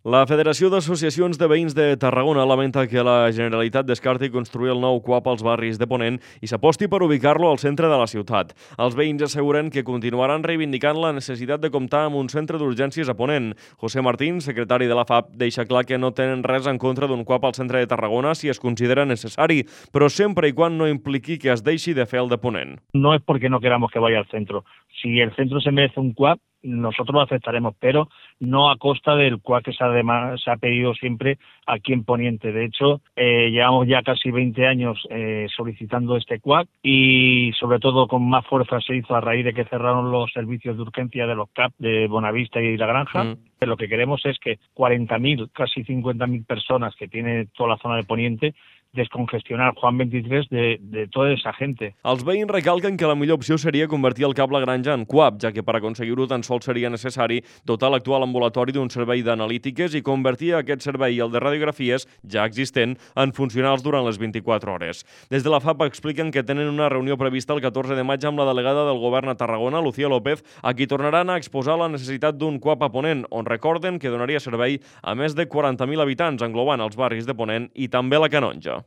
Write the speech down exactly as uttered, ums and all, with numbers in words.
La Federació d'Associacions de Veïns de Tarragona lamenta que la Generalitat descarti construir el nou cuap als barris de Ponent i s'aposti per ubicar-lo al centre de la ciutat. Els veïns asseguren que continuaran reivindicant la necessitat de comptar amb un centre d'urgències a Ponent. José Martín, secretari de la F A P, deixa clar que no tenen res en contra d'un cuap al centre de Tarragona si es considera necessari, però sempre i quan no impliqui que es deixi de fer el de Ponent. No es porque no queramos que vaya al centro. Si el centro se merece un cuap, nosotros lo aceptaremos, pero no a costa del cuap que se ha, se ha pedido siempre aquí en Poniente. De hecho, eh, llevamos ya casi veinte años eh, solicitando este cuap y sobre todo con más fuerza se hizo a raíz de que cerraron los servicios de urgencia de los C A P de Bonavista y La Granja. Mm. Lo que queremos es que cuarenta mil, casi cincuenta mil personas que tiene toda la zona de Poniente descongestionar Juan veintitrés de, de tota esa gente. Els veïns recalquen que la millor opció seria convertir el Cap La Granja en cuap, ja que per aconseguir-ho tan sols seria necessari dotar l'actual ambulatori d'un servei d'analítiques i convertir aquest servei i el de radiografies, ja existent, en funcionals durant les vint-i-quatre hores. Des de la F A P expliquen que tenen una reunió prevista el catorze de maig amb la delegada del govern a Tarragona, Lucía López, a qui tornaran a exposar la necessitat d'un cuap a Ponent, on recorden que donaria servei a més de quaranta mil habitants, englobant els barris de Ponent i també la Canonja.